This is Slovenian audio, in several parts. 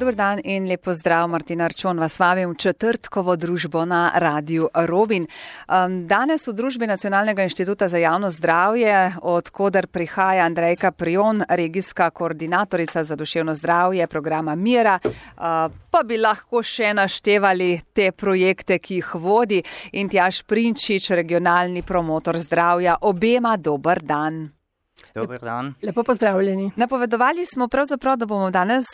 Dober dan in lep pozdrav, Martina Arčon vas vabim v četrtkovo družbo na Radiu Robin. Danes v družbi Nacionalnega inštituta za javno zdravje, od koder prihaja Andrejka Prijon, regijska koordinatorica za duševno zdravje programa Mira, pa bi lahko še naštevali te projekte, ki jih vodi, in Tjaž Prinčič, regionalni promotor zdravja. Obema dober dan. Dober dan. Lepo pozdravljeni. Napovedovali smo pravzaprav, da bomo danes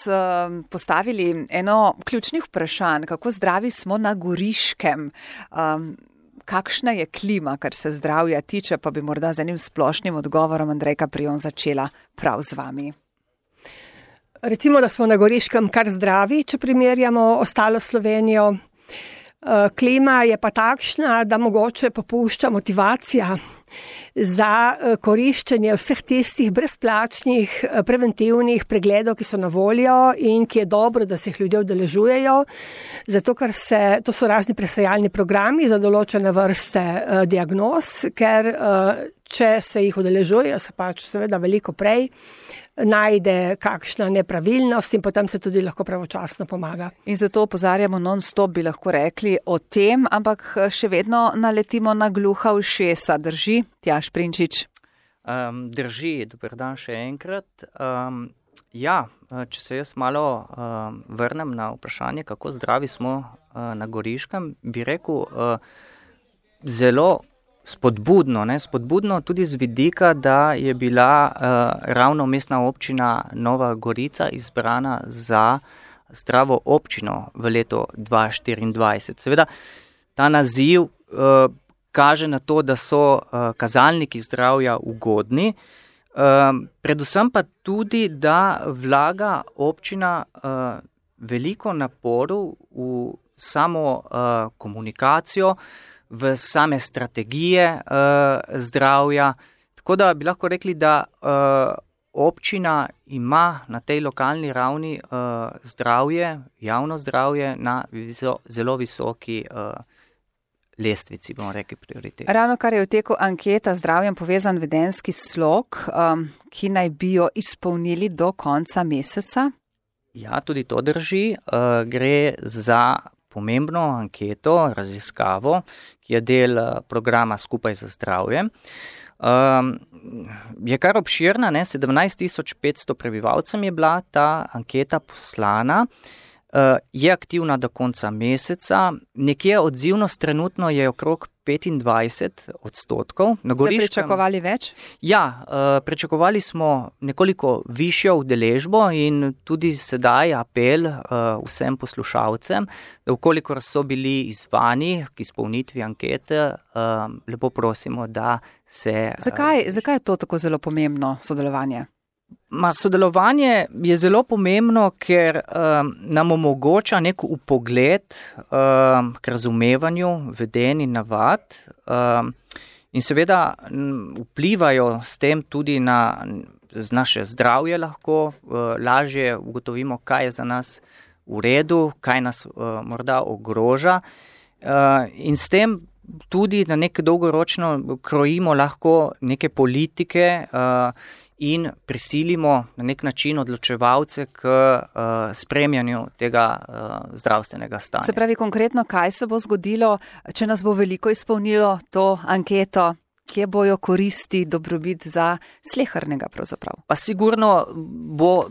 postavili eno ključnih vprašanj, kako zdravi smo na Goriškem. Kakšna je klima, kar se zdravja tiče, pa bi morda z enim splošnim odgovorom Andrejka Prijon začela prav z vami. Recimo, da smo na Goriškem kar zdravi, če primerjamo ostalo Slovenijo. Klima je pa takšna, da mogoče popušča motivacija za koriščenje vseh tistih brezplačnih preventivnih pregledov, ki so na voljo in ki je dobro, da se jih ljudje udeležujejo, zato ker to so razni presajalni programi za določene vrste diagnoz, ker če se jih udeležujejo, se pač seveda veliko prej najde kakšna nepravilnost in potem se tudi lahko pravočasno pomaga. In zato opozarjamo non-stop, bi lahko rekli, o tem, ampak še vedno naletimo na gluha ušesa. Drži, Tjaž Prinčič? Drži, dober dan še enkrat. Če se jaz malo vrnem na vprašanje, kako zdravi smo na Goriškem, bi rekel zelo spodbudno tudi z vidika, da je bila ravno mestna občina Nova Gorica izbrana za zdravo občino v letu 2024. Seveda, ta naziv kaže na to, da so kazalniki zdravja ugodni, predvsem pa tudi, da vlaga občina veliko naporov v samo komunikacijo, v same strategije zdravja. Tako da bi lahko rekli, da občina ima na tej lokalni ravni zdravje, javno zdravje na zelo visoki lestvici, bomo rekli, prioritet. Ravno kar je v teku anketa zdravjem povezan vedenjski slog, ki naj bi jo izpolnili do konca meseca. Ja, tudi to drži. Gre za pomembno anketo, raziskavo, ki je del programa Skupaj za zdravje. Je kar obširna, 17.500 prebivalcem je bila ta anketa poslana, je aktivna do konca meseca, nekje odzivnost trenutno je okrog 25%. Ste pričakovali več? Ja, pričakovali smo nekoliko višjo udeležbo in tudi sedaj apel vsem poslušalcem, da vkolikor so bili izzvani k izpolnitvi ankete, lepo prosimo, da se... Zakaj je to tako zelo pomembno sodelovanje? Sodelovanje je zelo pomembno, ker nam omogoča nek vpogled k razumevanju vedenj in navad in seveda vplivajo s tem tudi na naše zdravje lahko, lažje ugotovimo, kaj je za nas v redu, kaj nas morda ogroža in s tem tudi na nek dolgoročno krojimo lahko neke politike in prisilimo na nek način odločevalce k spremljanju tega zdravstvenega stanja. Se pravi konkretno, kaj se bo zgodilo, če nas bo veliko izpolnilo to anketo, kje bojo koristi, dobrobit za slehernega pravzaprav? Pa sigurno bo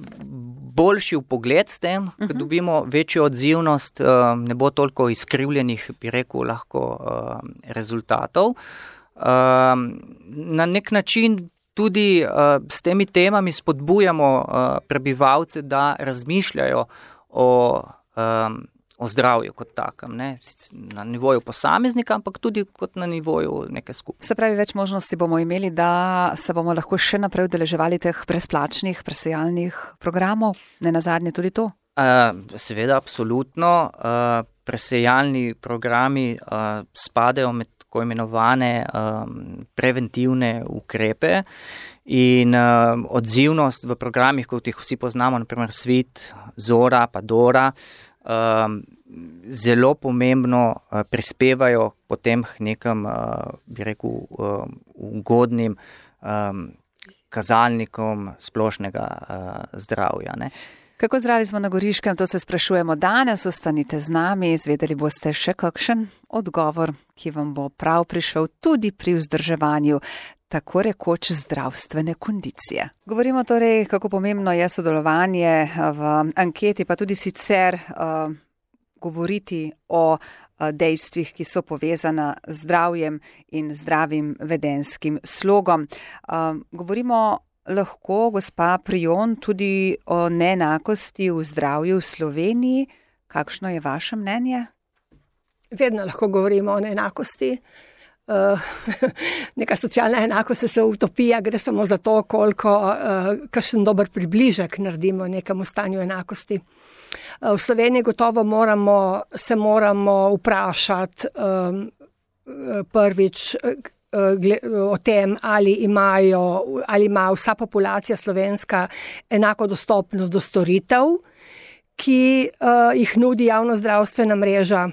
boljši vpogled s tem, ko dobimo večjo odzivnost, ne bo toliko izkrivljenih, bi rekel, lahko rezultatov. Na nek način tudi s temi temami spodbujamo prebivalce, da razmišljajo o zdravju kot takem, ne na nivoju posameznika, ampak tudi kot na nivoju neke skupine. Se pravi, več možnosti bomo imeli, da se bomo lahko še naprej udeleževali teh brezplačnih presajalnih programov, ne nazadnje tudi to? Seveda, absolutno. Presajalni programi spadajo med tako imenovane preventivne ukrepe in odzivnost v programih, kot jih vsi poznamo, naprimer Svit, Zora, pa Dora, zelo pomembno prispevajo potem k nekem, bi rekel, ugodnim kazalnikom splošnega zdravja, ne. Kako zdravi smo na Goriškem, to se sprašujemo danes, ostanite z nami, izvedeli boste še kakšen odgovor, ki vam bo prav prišel tudi pri vzdrževanju tako rekoč zdravstvene kondicije. Govorimo torej, kako pomembno je sodelovanje v anketi, pa tudi sicer govoriti o dejstvih, ki so povezana z zdravjem in zdravim vedenskim slogom. Govorimo lahko, gospa Prijon, tudi o neenakosti v zdravju v Sloveniji. Kakšno je vaše mnenje? Vedno lahko govorimo o neenakosti. Neka socialna enakost je utopija, gre samo za to, koliko kakšen dober približek naredimo nekemu stanju enakosti. V Sloveniji gotovo se moramo vprašati prvič o tem, ali ima vsa populacija slovenska enako dostopnost do storitev, ki jih nudi javnozdravstvena mreža.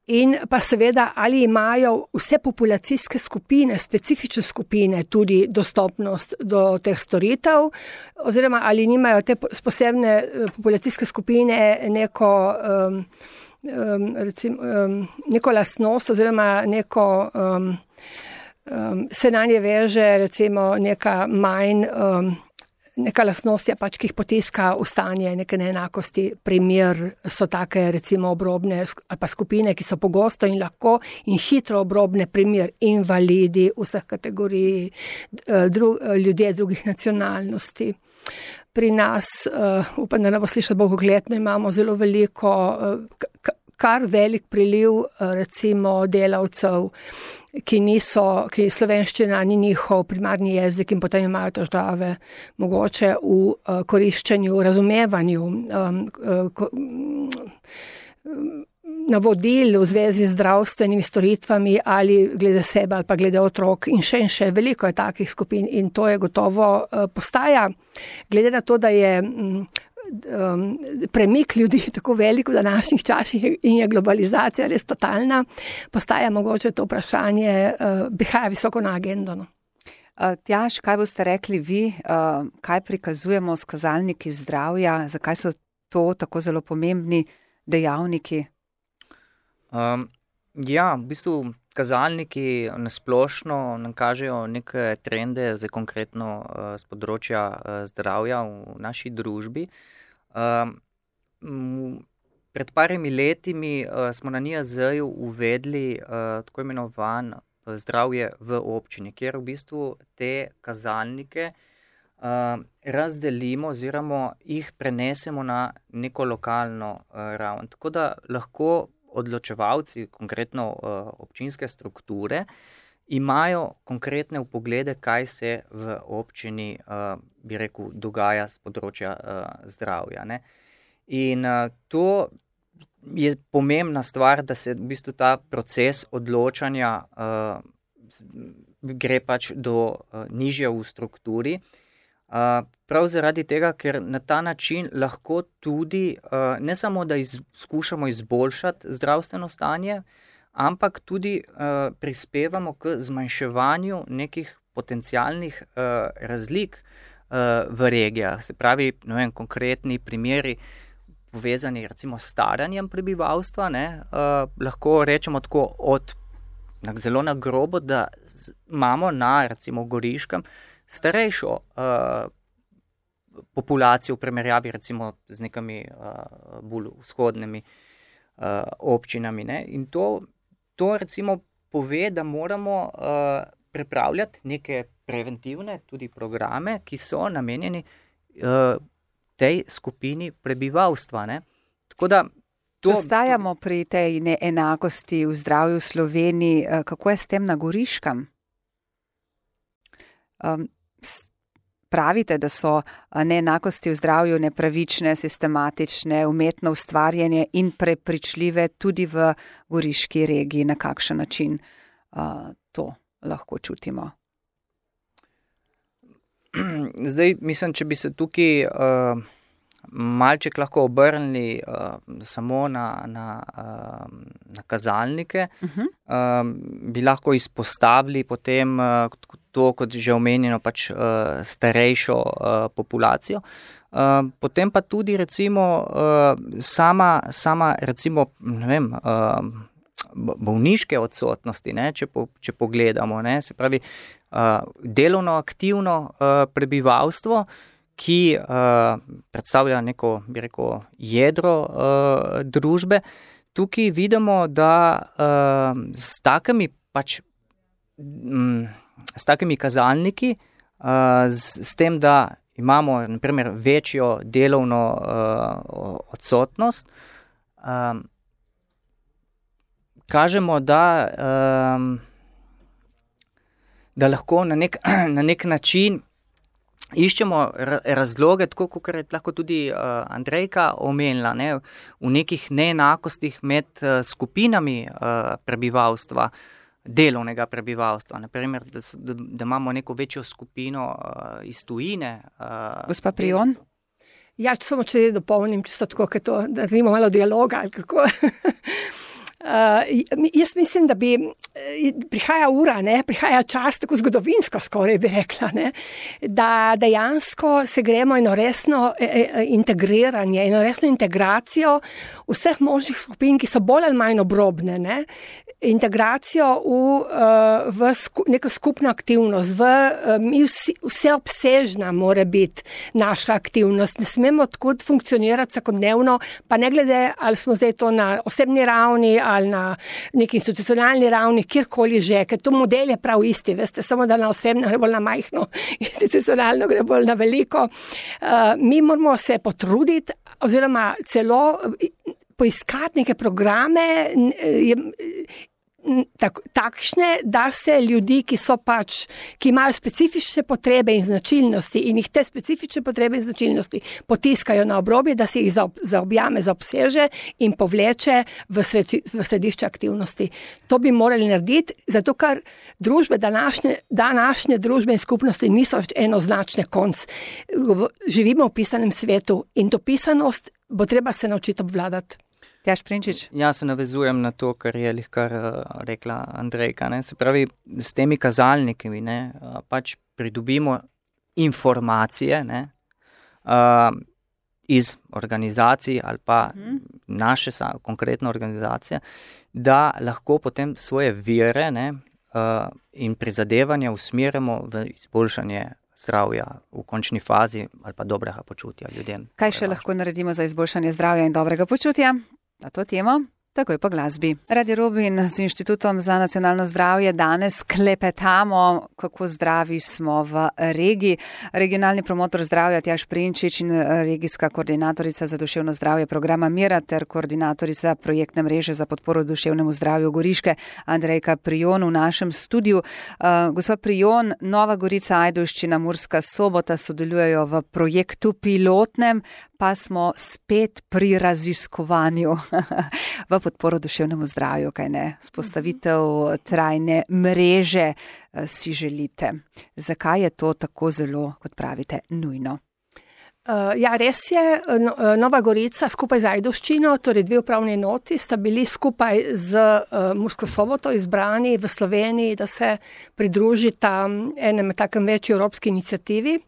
In pa seveda, ali imajo vse populacijske skupine, specifične skupine tudi dostopnost do teh storitev, oziroma ali nimajo te posebne populacijske skupine neko lastnost oziroma se na nje veže recimo neka lastnost je pač, ki jih potiska v stanje neke neenakosti. Primer so take recimo obrobne ali pa skupine, ki so pogosto in lahko in hitro obrobne, primer invalidi vseh kategorij, ljudje drugih nacionalnosti. Pri nas, upam, da ne bo slišati bogokletno, imamo zelo veliko, kar velik priliv recimo delavcev, ki slovenščina ni njihov primarni jezik in potem imajo težave mogoče v koriščenju, razumevanju navodil v zvezi z zdravstvenimi storitvami ali glede sebe ali pa glede otrok in še veliko je takih skupin in to je gotovo postaja, glede na to, da je premik ljudi tako velik v današnjih časih in je globalizacija res totalna, postaja mogoče to vprašanje, prihaja visoko na agendo. No. Tjaž, kaj boste rekli vi, kaj prikazujemo s kazalniki zdravja, zakaj so to tako zelo pomembni dejavniki? Ja, v bistvu kazalniki nasplošno nam kažejo neke trende, zdaj konkretno z področja zdravja v naši družbi. Pred parimi letimi smo na NIJZ-ju uvedli tako imenovan zdravje v občini, kjer v bistvu te kazalnike razdelimo oziroma jih prenesemo na neko lokalno raven. Tako da lahko odločevalci, konkretno občinske strukture, imajo konkretne vpoglede, kaj se v občini, bi rekel, dogaja z področja zdravja. Ne? In to je pomembna stvar, da se v bistvu ta proces odločanja gre pač do nižje v strukturi. Prav zaradi tega, ker na ta način lahko tudi ne samo, da skušamo izboljšati zdravstveno stanje, ampak tudi prispevamo k zmanjševanju nekih potencialnih razlik v regijah. Se pravi, konkretni primeri povezani recimo s staranjem prebivalstva, lahko rečemo tako zelo na grobo, da imamo na recimo Goriškem starejšo populacijo v primerjavi recimo z nekimi bolj vzhodnimi občinami. Ne? In to recimo pove, da moramo pripravljati neke preventivne tudi programe, ki so namenjeni tej skupini prebivalstva. Ne? Tako da ostajamo pri tej neenakosti v zdravju v Sloveniji. Kako je s tem na Goriškem? Pravite, da so neenakosti v zdravju nepravične, sistematične, umetno ustvarjene in prepričljive tudi v goriški regiji. Na kakšen način to lahko čutimo? Zdaj, mislim, če bi se tukaj malček lahko obrnili samo na kazalnike, bi lahko izpostavili potem to, kot že omenjeno, pač starejšo populacijo. Potem pa tudi recimo sama recimo, ne vem, bolniške odsotnosti, ne, če pogledamo, ne, se pravi, delovno aktivno prebivalstvo, ki predstavlja neko, bi rekel, jedro družbe. Tukaj vidimo, da s takimi kazalniki, s tem, da imamo na primer večjo delovno odsotnost, kažemo, da lahko na nek način iščemo razloge, tako kot je lahko tudi Andrejka omenila, ne, v nekih neenakostih med skupinami prebivalstva, delovnega prebivalstva. Naprimer, da imamo neko večjo skupino iz tujine. Gospa Prijon? Ja, samo če dopolnim, čisto tako, da imamo malo dialoga, ali kako. Jaz mislim, da prihaja ura, ne, prihaja čas, tako zgodovinsko skoraj bi rekla, ne, da dejansko se gremo eno resno integriranje, eno resno integracijo vseh možnih skupin, ki so bolj ali manj obrobne, ne, integracijo v neko skupno aktivnost, vseobsežna mora biti naša aktivnost. Ne smemo tako funkcionirati vsakodnevno, pa ne glede, ali smo zdaj to na osebni ravni, ali na neki institucionalni ravni, kjerkoli že, ker to model je prav isti, veste, samo da na osebno gre bolj na majhno, institucionalno gre bolj na veliko. Mi moramo se potruditi, oziroma celo poiskati neke programe, takšne, da se ljudi, ki imajo specifične potrebe in značilnosti in jih te specifične potrebe in značilnosti potiskajo na obrobje, da se jih zaobjame, zaobseže in povleče v središče aktivnosti. To bi morali narediti, zato ker družbe, današnje družbe in skupnosti niso več enoznačne konc. Živimo v pisanem svetu in to pisanost bo treba se naučiti obvladati. Tjaž Prinčič. Ja, se navezujem na to, kar je lihkar rekla Andrejka, ne. Se pravi, s temi kazalniki, ne, pač pridobimo informacije, ne, iz organizacij ali pa naše konkretno organizacije, da lahko potem svoje vire, ne, in prizadevanja usmerimo v izboljšanje zdravja v končni fazi ali pa dobrega počutja ljudem. Kaj še lahko naredimo za izboljšanje zdravja in dobrega počutja? Na to temo, takoj po glasbi. Radio Robin z Inštitutom za nacionalno zdravje danes klepetamo, kako zdravi smo v regiji. Regionalni promotor zdravja Tjaž Prinčič in regijska koordinatorica za duševno zdravje programa Mira ter koordinatorica projektne mreže za podporo duševnemu zdravju Goriške Andrejka Prijon v našem studiu. Gospa Prijon, Nova Gorica, Ajdovščina, Murska Sobota sodelujejo v projektu pilotnem, pa smo spet pri raziskovanju v podporo duševnemu zdravju, kaj ne? Spostavitev trajne mreže si želite. Zakaj je to tako zelo, kot pravite, nujno? Ja, res je. Nova Gorica skupaj z Ajdovščino, torej 2 upravni enoti, sta bili skupaj z Mursko Soboto izbrani v Sloveniji, da se pridružita enem takem večji evropski iniciativi.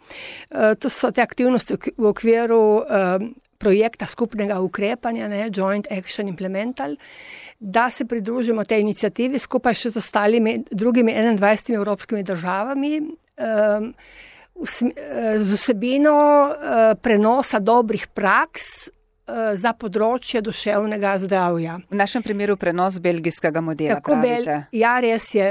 To so te aktivnosti v okviru projekta skupnega ukrepanja, ne, Joint Action Implemental, da se pridružimo tej iniciativi skupaj še z ostalimi drugimi 21 evropskimi državami, z vsebino prenosa dobrih praks za področje duševnega zdravja. V našem primeru prenos belgijskega modela, pravite? Ja, res je.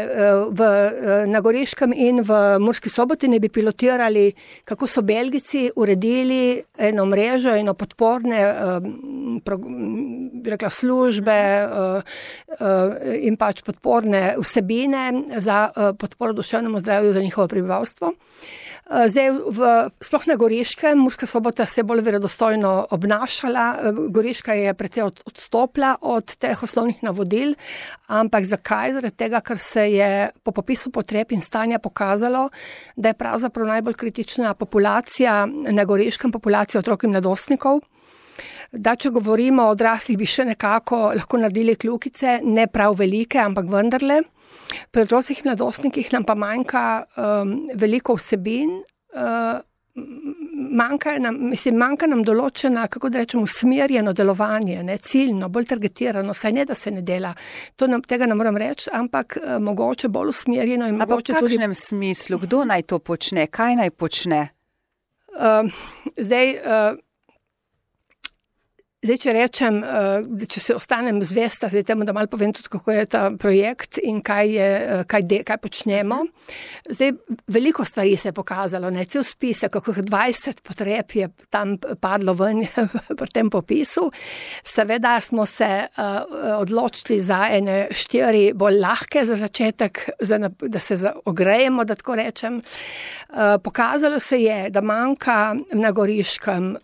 Na Goriškem in v Murski Soboti ne bi pilotirali, kako so Belgijci uredili eno mrežo, eno podporne službe in pač podporne vsebine za podporo duševnemu zdravju za njihovo prebivalstvo. Zdaj, sploh na Goriškem, Murska Sobota se je bolj verodostojno obnašala, Goriška je precej odstopila od teh osnovnih navodil, ampak zakaj? Zaradi tega, ker se je po popisu potreb in stanja pokazalo, da je pravzaprav najbolj kritična populacija na Goriškem, populacija otrok in mladostnikov. Da, če govorimo o odraslih, bi še nekako lahko naredili kljukice, ne prav velike, ampak vendarle. Pri otrocih in mladostnikih nam pa manjka veliko vsebin, manjka nam določena, kako da rečem, usmerjeno delovanje, ne, ciljno, bolj targetirano, saj ne, da se ne dela. Tega ne moram reči, ampak mogoče bolj usmerjeno. Ampak v kakšnem smislu? Kdo naj to počne? Kaj naj počne? Zdaj, če rečem, če se ostanem zvesta, zdaj temu, da malo povem tudi, kako je ta projekt in kaj počnemo. Zdaj, veliko stvari se je pokazalo, ne, cel spise, kako 20 potreb je tam padlo ven pri tem popisu. Seveda smo se odločili za ene 4 bolj lahke za začetek, da se ogrejemo, da tako rečem. Pokazalo se je, da manjka na Goriškem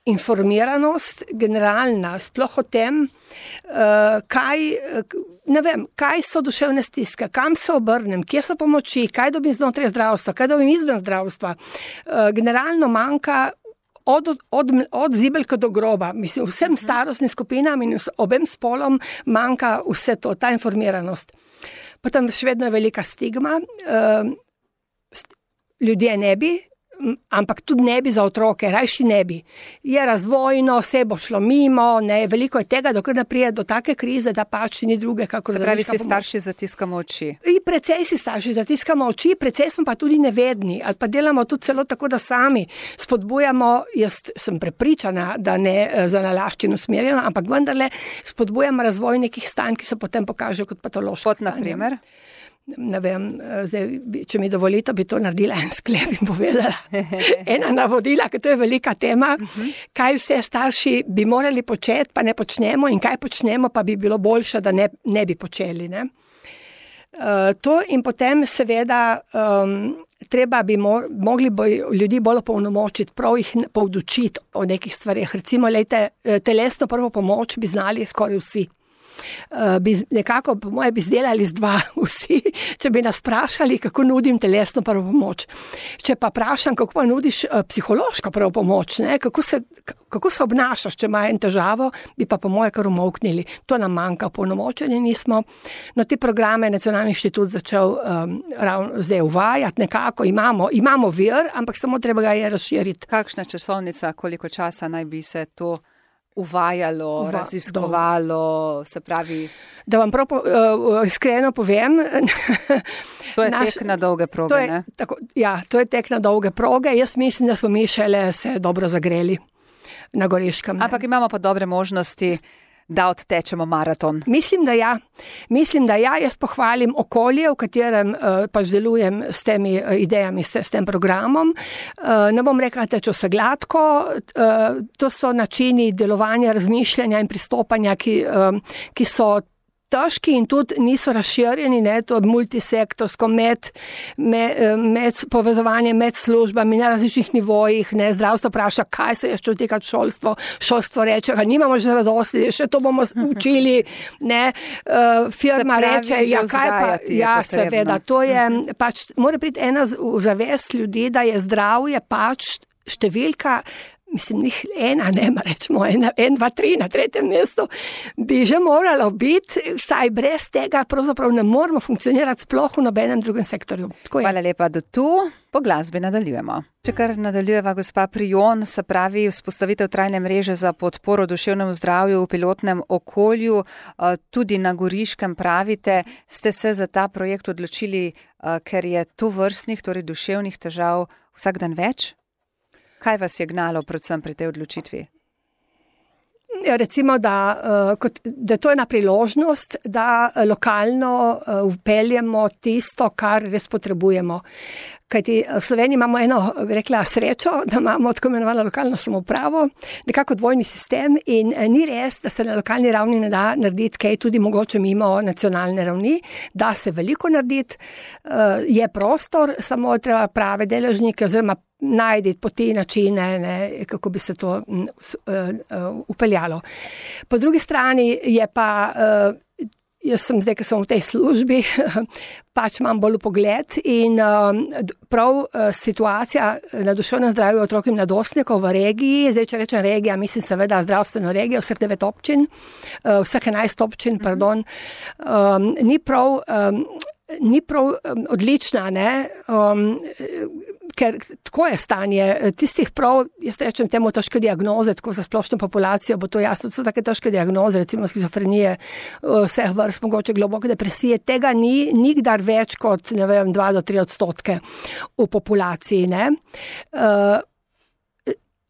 informiranost generalna, sploh o tem, kaj so duševne stiske, kam se obrnem, kje so pomoči, kaj dobim znotraj zdravstva, kaj dobim izven zdravstva. Generalno manjka od zibelke do groba, mislim, vsem starostnim skupinam in obem spolom manjka vse to, ta informiranost. Potem še vedno je velika stigma, ljudje ne bi, ampak tudi ne bi za otroke, rajši ne bi. Je razvojno, vse bo šlo mimo, ne, veliko je tega, dokler ne prije do take krize, da pač ni druge, kako se pravi, si starši zatiskamo oči. Precej si starši zatiskamo oči, precej smo pa tudi nevedni, ali pa delamo tudi celo tako, da sami spodbujamo, jaz sem prepričana, da ne za nalaščino usmerjeno, ampak vendarle spodbujamo razvoj nekih stanj, ki se potem pokažejo kot patološki. Kot na primer? Ne vem, zdaj, če mi dovolite, bi to naredila en sklep in povedala. Ena navodila, ker to je velika tema, kaj vse starši bi morali početi, pa ne počnemo in kaj počnemo, pa bi bilo boljše, da ne bi počeli. Ne? To in potem seveda treba bi mogli ljudi bolj opolnomočiti, prav jih poučiti o nekih stvarih. Recimo, telesno prvo pomoč bi znali skoraj vsi. Nekako, po moje, bi zdelali z 2 vsi, če bi nas vprašali, kako nudim telesno prvo pomoč. Če pa vprašam, kako pa nudiš psihološko prvo pomoč, ne? Kako se obnašaš, če ima en težavo, bi pa po moje kar umolknili. To nam manjka, polnomočeni nismo. No, te programe Nacionalni inštitut začel zdaj uvajati nekako, imamo vir, ampak samo treba ga je razširiti. Kakšna časovnica, koliko časa naj bi se to uvajalo, raziskovalo, se pravi... Da vam prav iskreno povem... To je tek na dolge proge, ne? Ja, to je tek na dolge proge. Jaz mislim, da smo mi šele se dobro zagreli na Goriškem. Ampak imamo pa dobre možnosti, da odtečemo maraton. Mislim, da ja. Jaz pohvalim okolje, v katerem pač delujem s temi idejami, s tem programom. Ne bom rekla, da teče vse gladko. To so načini delovanja, razmišljanja in pristopanja, ki so težki in tudi niso razširjeni, ne, to multisektorsko med povezovanje med službami na različnih nivojih, ne, zdravstvo vpraša, kaj se je še odtekati šolstvo reče, nimamo že radosti, še to bomo učili, ne, firma reče, kaj pa, ja, seveda, to je, pač, mora priti ena zavest ljudi, da je zdravje pač številka, mislim, njih ena, ne, rečemo, 1, 2, 3 na 3. mestu, bi že moralo biti, saj brez tega pravzaprav ne moramo funkcionirati sploh v nobenem drugem sektorju. Hvala lepa, do tu, po glasbi nadaljujemo. Če kar nadaljujeva gospa Prijon, se pravi vzpostavitev trajne mreže za podporo duševnemu zdravju v pilotnem okolju, tudi na Goriškem pravite, ste se za ta projekt odločili, ker je to vrstnih, torej duševnih težav vsak dan več? Kaj vas je gnalo predvsem pri tej odločitvi? Recimo, da to je ena priložnost, da lokalno vpeljemo tisto, kar res potrebujemo. Kajti v Sloveniji imamo eno, rekla, srečo, da imamo tako imenovano lokalno samoupravo, nekako dvojni sistem in ni res, da se na lokalni ravni ne da narediti kaj tudi mogoče mimo nacionalne ravni, da se veliko narediti, je prostor, samo treba prave deležnike oziroma najti poti, načine, ne, kako bi se to upeljalo. Po drugi strani je pa, jaz sem zdaj, ker sem v tej službi, pač imam bolj pogled in prav situacija na duševnem zdravju otrok in mladostnikov v regiji, zdaj če rečem regija, mislim seveda zdravstveno regijo, vseh 9 občin, vseh 11 občin, pardon, ni prav odlična, ne. ker tako je stanje tistih prav, jaz rečem temu težke diagnoze, tako za splošno populacijo bo to jasno, to so take težke diagnoze, recimo skizofrenije, vseh vrst, mogoče globoke depresije, tega ni nikdar več kot, 2 do 3% v populaciji, ne.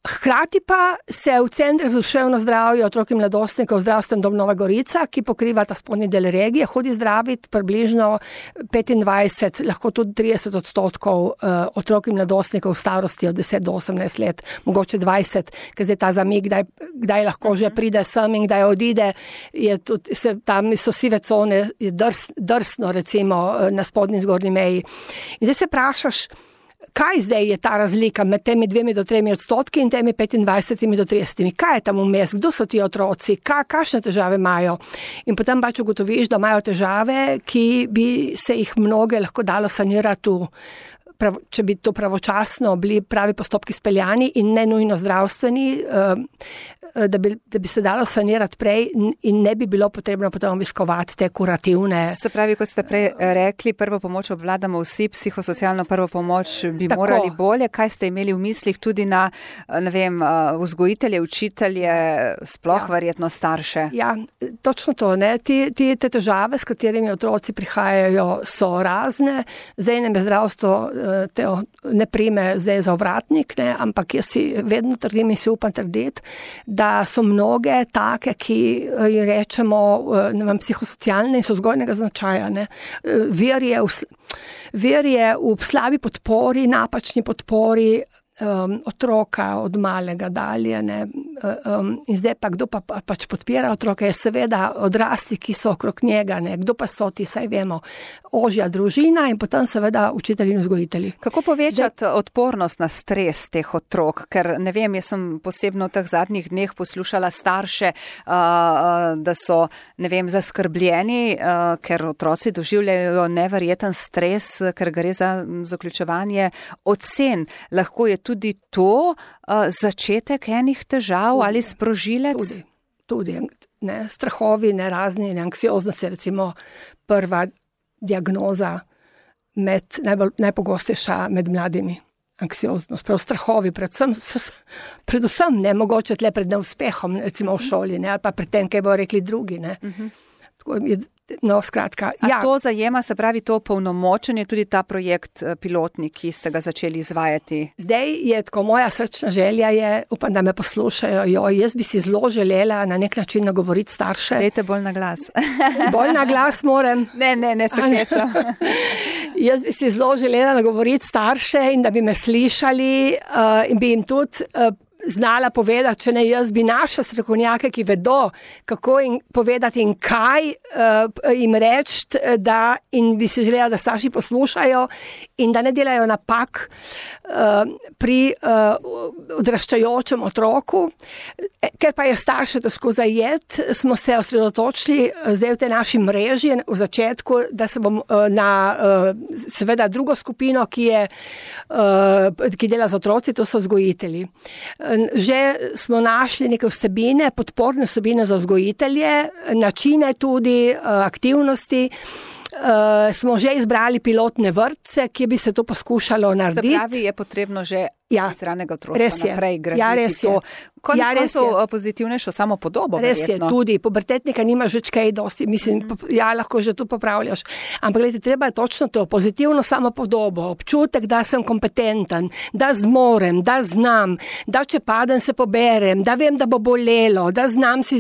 Hkrati pa se v Centru za duševno zdravje otrok in mladostnikov Zdravstveni dom Nova Gorica, ki pokriva ta spodnji del regije, hodi zdraviti približno 25, lahko tudi 30% otrok in mladostnikov v starosti od 10 do 18 let, mogoče 20, ker zdaj ta zamik, kdaj lahko že pride sem in kdaj odide, je tudi, tam so sive cone, je drsno recimo na spodnji zgornji meji. In zdaj se vprašaš, kaj zdaj je ta razlika med temi 2 do 3% in temi 25 do 30? Kaj je tam vmes? Kdo so ti otroci? Kakšne težave imajo? In potem pač ugotoviš, da imajo težave, ki bi se jih mnoge lahko dalo sanirati, če bi to pravočasno bili pravi postopki speljani in ne nujno zdravstveni, da bi se dalo sanirati prej in ne bi bilo potrebno potem obiskovati te kurativne. Se pravi, kot ste prej rekli, prvo pomoč obvladamo vsi, psihosocialno prvo pomoč bi morali bolje. Kaj ste imeli v mislih tudi na, vzgojitelje, učitelje, sploh verjetno starše? Ja, točno to, ne. Te težave, s katerimi otroci prihajajo, so razne. Zdaj nam je zdravstvo ne prime zdaj za ovratnik, ne, ampak jaz si vedno trdim in si upam trditi, da so mnoge take, ki jim rečemo psihosocialne in so vzgojnega značaja. Ne. Vir je v slabi podpori, napačni podpori otroka od malega dalje. Ne. In zdaj pa kdo pač podpira otroke, je seveda odrasli, ki so okrog njega, ne. Kdo pa so ti, saj vemo, ožja družina in potem seveda učitelji in vzgojitelji. Kako povečati odpornost na stres teh otrok? Ker ne vem, jaz sem posebno v teh zadnjih dneh poslušala starše, da so, zaskrbljeni, ker otroci doživljajo neverjeten stres, ker gre za zaključevanje ocen. Lahko je tudi to začetek enih težav ali sprožilec? Tudi ne, strahovi, razni, anksioznost je recimo prva diagnoza najpogostejša med mladimi. Anksioznost, prav strahovi, predvsem ne, mogoče tle pred neuspehom, recimo v šoli, ne, ali pa pred tem, kaj bo rekli drugi, ne. Tako je, no, skratka. A to zajema, se pravi, to polnomočenje, tudi ta projekt pilotni, ki ste ga začeli izvajati? Zdaj je tako, moja srčna želja je, upam, da me poslušajo, jaz bi si zelo želela na nek način nagovoriti starše. Dajte bolj na glas. Bolj na glas moram. Ne, se hecam. Jaz bi si zelo želela nagovoriti starše in da bi me slišali in bi jim tudi znala povedati, če ne jaz, bi naša strokovnjake, ki vedo, kako jim povedati in kaj jim reči, in bi si želela, da starši poslušajo in da ne delajo napak pri odraščajočem otroku. Ker pa je starše težko zajeti, smo se osredotočili zdaj v tej naši mreži v začetku, da se bom na seveda drugo skupino, ki dela z otroci, to so vzgojitelji. Že smo našli neke vsebine, podporne vsebine za vzgojitelje, načine tudi, aktivnosti. Smo že izbrali pilotne vrtce, ki bi se to poskušalo narediti. Se pravi, je potrebno že iz ranega otroštva naprej graditi to. Konec koncev pozitivnejšo samo podobo. Res je, tudi. Pubertetnika nimaš več kaj dosti, lahko že tu popravljaš. Ampak gledajte, treba je točno to, pozitivno samo podobo, občutek, da sem kompetenten, da zmorem, da znam, da če padem se poberem, da vem, da bo bolelo, da znam si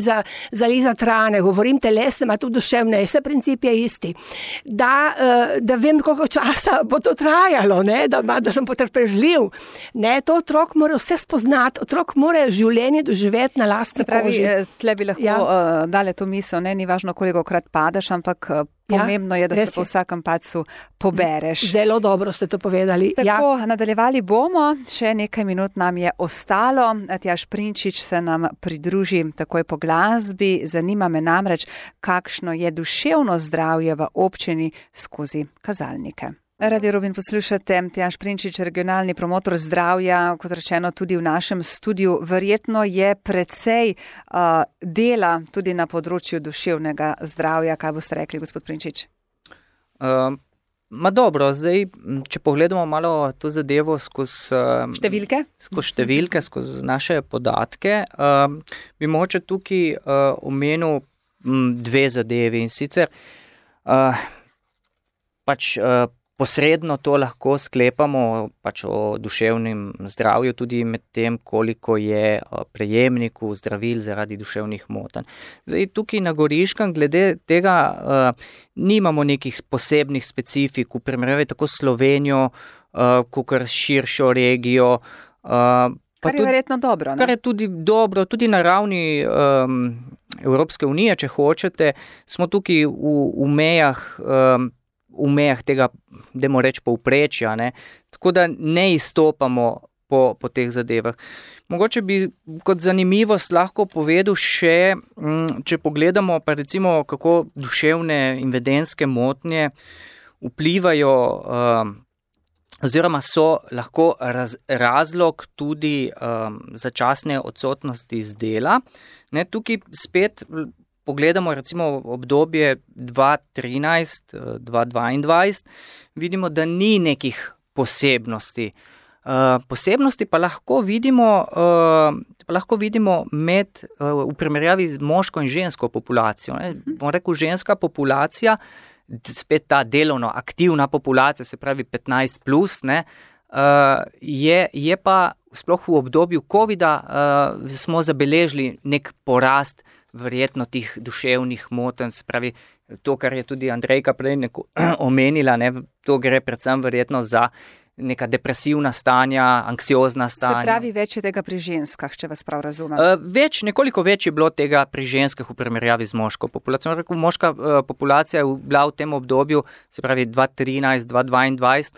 zalizati rane, govorim telesne, a tudi duševne, vse princip je isti. Da vem, koliko časa bo to trajalo, ne? Da sem potrpežljiv. Ne, to otrok mora vse spoznati, otrok mora življenje doživeti na lastni koži. Tle bi lahko dale to misel, ne, ni važno, kolikokrat padeš, ampak pomembno je, da se po vsakem padcu pobereš. Zelo dobro ste to povedali. Tako, nadaljevali bomo, še nekaj minut nam je ostalo. Tjaž Prinčič se nam pridruži takoj po glasbi. Zanima me namreč, kakšno je duševno zdravje v občini skozi kazalnike. Radio Robin poslušate, Tjaž Prinčič, regionalni promotor zdravja, kot rečeno tudi v našem studiu. Verjetno je precej dela tudi na področju duševnega zdravja. Kaj boste rekli, gospod Prinčič? Dobro, zdaj, če pogledamo malo to zadevo skozi številke, skozi naše podatke, bi mogoče tukaj omenil dve zadevi in sicer posredno to lahko sklepamo o duševnem zdravju tudi med tem, koliko je prejemnikov zdravil zaradi duševnih motenj. Zdaj, tukaj na Goriškem glede tega nimamo nekih posebnih specifik v primerjavi tako s Slovenijo, kakor širšo regijo. Kar je verjetno dobro, ne? Kar je tudi dobro, tudi na ravni Evropske unije, če hočete, smo tukaj v mejah tega, dajmo reči, povprečja, ne? Tako da ne izstopamo po teh zadevah. Mogoče bi kot zanimivost lahko povedal še, če pogledamo pa recimo, kako duševne in vedenjske motnje vplivajo oziroma so lahko razlog tudi začasne odsotnosti z dela. Ne, tukaj spet pogledamo recimo obdobje 2013-2022, vidimo, da ni nekih posebnosti. Posebnosti pa lahko vidimo v primerjavi z moško in žensko populacijo. Bom rekel, ženska populacija, spet ta delovno aktivna populacija, se pravi 15 plus, ne, je pa sploh v obdobju covida smo zabeležili nek porast verjetno tih duševnih motenj, se pravi to, kar je tudi Andrejka prej omenila, ne, to gre predvsem verjetno za neka depresivna stanja, anksiozna stanja. Se pravi, več je tega pri ženskah, če vas prav razumem. Nekoliko več je bilo tega pri ženskah v primerjavi z moško populacijo. Rekel, moška populacija je bila v tem obdobju, se pravi 2013-2022,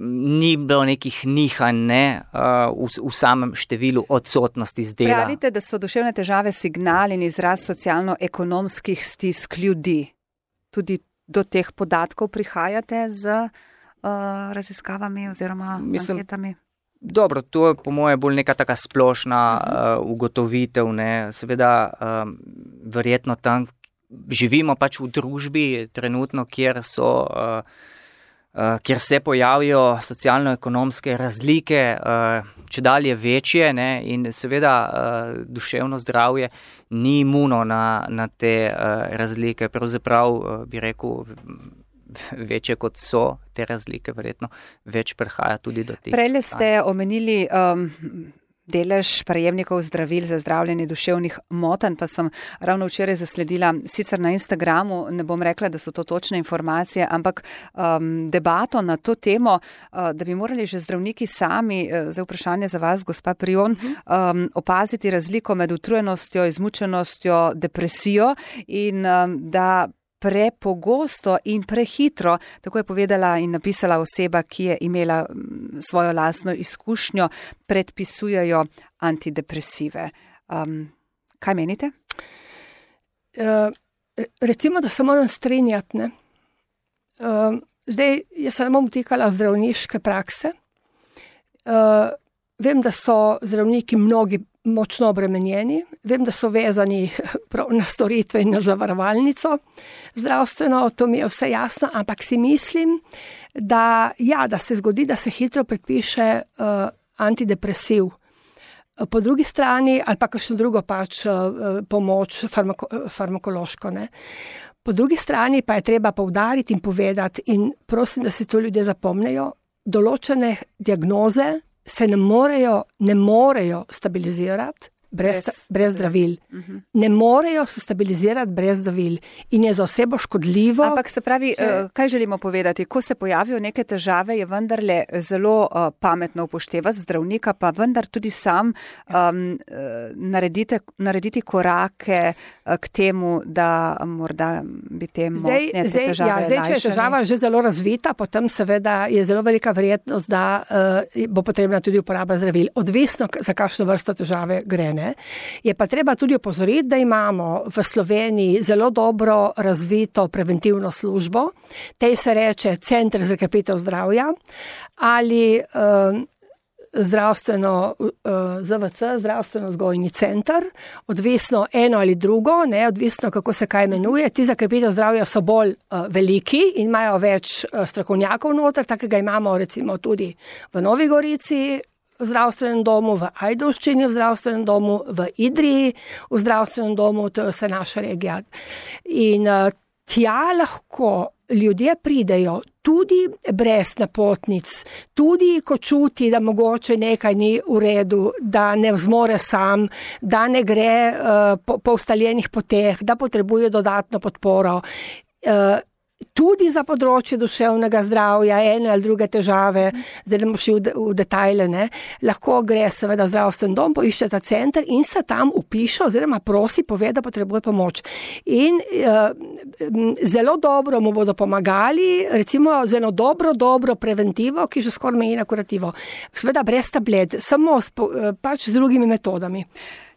ni bilo nekih nihanj, ne, v samem številu odsotnosti z dela. Pravite, da so duševne težave signal in izraz socialno-ekonomskih stisk ljudi. Tudi do teh podatkov prihajate z raziskavami oziroma anketami? Dobro, to je po moje bolj neka taka splošna ugotovitev, ne. Seveda verjetno tam živimo pač v družbi trenutno, kjer se pojavijo socialno-ekonomske razlike, čedalje večje, ne, in seveda duševno zdravje ni imuno na te razlike, pravzaprav bi rekel, večje kot so te razlike, verjetno več prihaja tudi do teh. Prejle ste omenili delež prejemnikov zdravil za zdravljenje duševnih motenj, pa sem ravno včeraj zasledila, sicer na Instagramu, ne bom rekla, da so to točne informacije, ampak debato na to temo, da bi morali že zdravniki sami, za vprašanje za vas, gospa Prijon, opaziti razliko med utrujenostjo, izmučenostjo, depresijo in da prepogosto in prehitro, tako je povedala in napisala oseba, ki je imela svojo lastno izkušnjo, predpisujejo antidepresive. Kaj menite? Recimo, da se moram strinjati, ne. Zdaj, jaz sem vtikala zdravniške prakse. Vem, da so zdravniki mnogi močno obremenjeni, vem, da so vezani na storitve in na zavarovalnico zdravstveno, to mi je vse jasno, ampak si mislim, da se zgodi, da se hitro predpiše antidepresiv. Po drugi strani, ali pa kakšno drugo pač pomoč farmakološko, ne. Po drugi strani pa je treba poudariti in povedati, in prosim, da si to ljudje zapomnejo, določene diagnoze se ne morejo stabilizirati brez zdravil. Ne morejo se stabilizirati brez zdravil in je za osebo škodljivo. Ampak se pravi, kaj želimo povedati? Ko se pojavijo neke težave, je vendarle zelo pametno upoštevati zdravnika, pa vendar tudi sam narediti korake k temu, da morda bi te motnje, te težave lajšali. Če je težava že zelo razvita, potem seveda je zelo velika verjetnost, da bo potrebna tudi uporaba zdravil. Odvisno, za kakšno vrsto težave gre. Je pa treba tudi opozoriti, da imamo v Sloveniji zelo dobro razvito preventivno službo, tej se reče Center za krepitev zdravja, ali zdravstveno-vzgojni center, odvisno eno ali drugo, odvisno kako se kaj imenuje. Ti za krepitev zdravja so bolj veliki in imajo več strokovnjakov noter, takega imamo recimo tudi v Novi Gorici, v zdravstvenem domu, v Ajdovščini, v zdravstvenem domu, v Idriji, v zdravstvenem domu, to je vse naša regija. In tja lahko ljudje pridejo tudi brez napotnic, tudi ko čuti, da mogoče nekaj ni v redu, da ne zmore sam, da ne gre po ustaljenih poteh, da potrebuje dodatno podporo. Tudi za področje duševnega zdravja, ene ali druge težave, zdaj ne bomo šli v detajle, lahko gre seveda v zdravstven dom, poišče ta center in se tam upiše oziroma prosi, pove, da potrebuje pomoč. In zelo dobro mu bodo pomagali, recimo z eno dobro preventivo, ki že skoraj meji na kurativo. Seveda brez tablet, samo pač z drugimi metodami.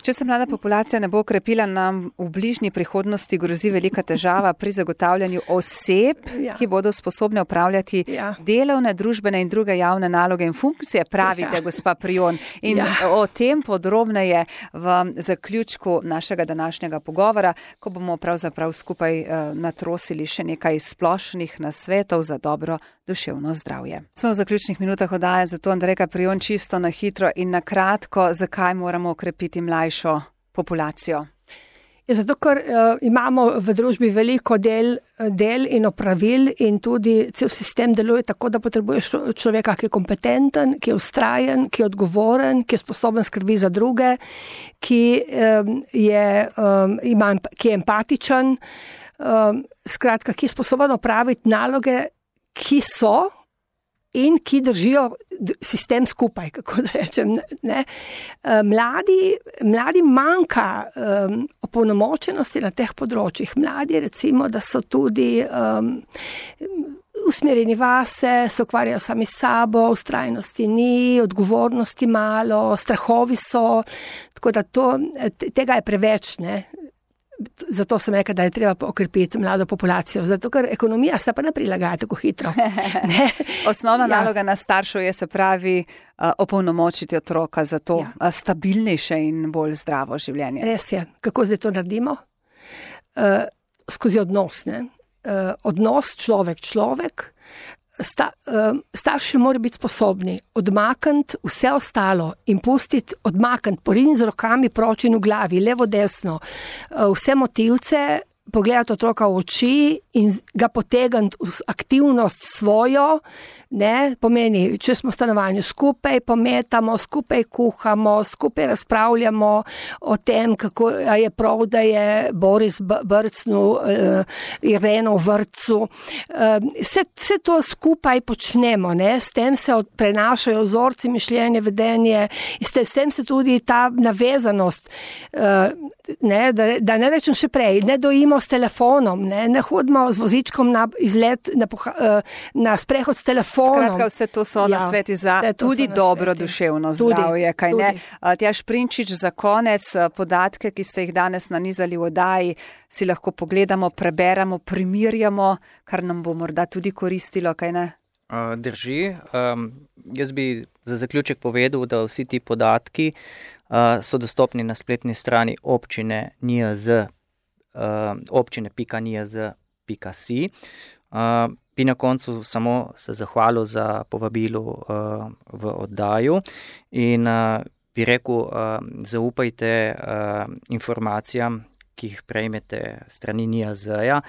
Če se mlada populacija ne bo okrepila, nam v bližnji prihodnosti grozi velika težava pri zagotavljanju oseb, ki bodo sposobne upravljati delovne, družbene in druge javne naloge in funkcije, pravite gospa Prijon. In o tem podrobneje v zaključku našega današnjega pogovora, ko bomo pravzaprav skupaj natrosili še nekaj splošnih nasvetov za dobro duševno zdravje. Smo v zaključnih minutah oddaje, zato Andrejka Prijon čisto na hitro in na kratko, zakaj moramo okrepiti mlajšo populacijo? Zato, ker imamo v družbi veliko del in opravil in tudi cel sistem deluje tako, da potrebuješ človeka, ki je kompetenten, ki je vztrajen, ki je odgovoren, ki je sposoben skrbi za druge, ki je empatičen, skratka, ki je sposoben opraviti naloge, ki so in ki držijo sistem skupaj, kako da rečem. Mladi manjka opolnomočenosti na teh področjih. Mladi recimo, da so tudi usmerjeni vase, se ukvarjajo sami s sabo, vztrajnosti ni, odgovornosti malo, strahovi so, tako da tega je preveč, Zato sem rekla, da je treba okrepiti mlado populacijo, zato ker ekonomija se pa ne prilagaja tako hitro. Osnovna naloga nas staršev je, se pravi, opolnomočiti otroka za to stabilnejše in bolj zdravo življenje. Res je. Kako zdaj to naredimo? Skozi odnos. Odnos človek. Starši morajo biti sposobni odmakniti vse ostalo in pustiti, poriniti z rokami proč in v glavi, levo, desno, vse motivce, pogledati otroka v oči in ga potegniti v aktivnost svojo, pomeni, če smo v stanovanju skupaj, pometamo, skupaj kuhamo, skupaj razpravljamo o tem, kako je prav, da je Boris brcnil Ireno v vrtcu. Vse to skupaj počnemo, s tem se prenašajo vzorci, mišljenje, vedenje, s tem se tudi ta navezanost, da ne rečem še prej, ne dojimo s telefonom, ne hodimo z vozičkom na izlet, na sprehod s telefonom. Skratka, vse to so nasveti za tudi dobro duševno zdravje, kaj ne? Tjaž Prinčič, za konec, podatke, ki ste jih danes nanizali v oddaji, si lahko pogledamo, preberamo, primerjamo, kar nam bo morda tudi koristilo, kaj ne? Drži. Jaz bi za zaključek povedal, da vsi ti podatki so dostopni na spletni strani občine občine.nijz.si. Bi na koncu samo se zahvalil za povabilo v oddaju in bi rekel, zaupajte informacijam, ki jih prejmete strani NIJZ-ja.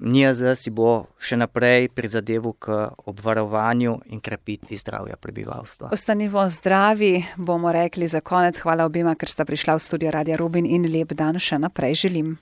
NIJZ si bo še naprej prizadeval k obvarovanju in krepitvi zdravja prebivalstva. Ostanimo zdravi, bomo rekli za konec. Hvala obima, ker sta prišla v studio Radia Rubin in lep dan še naprej želim.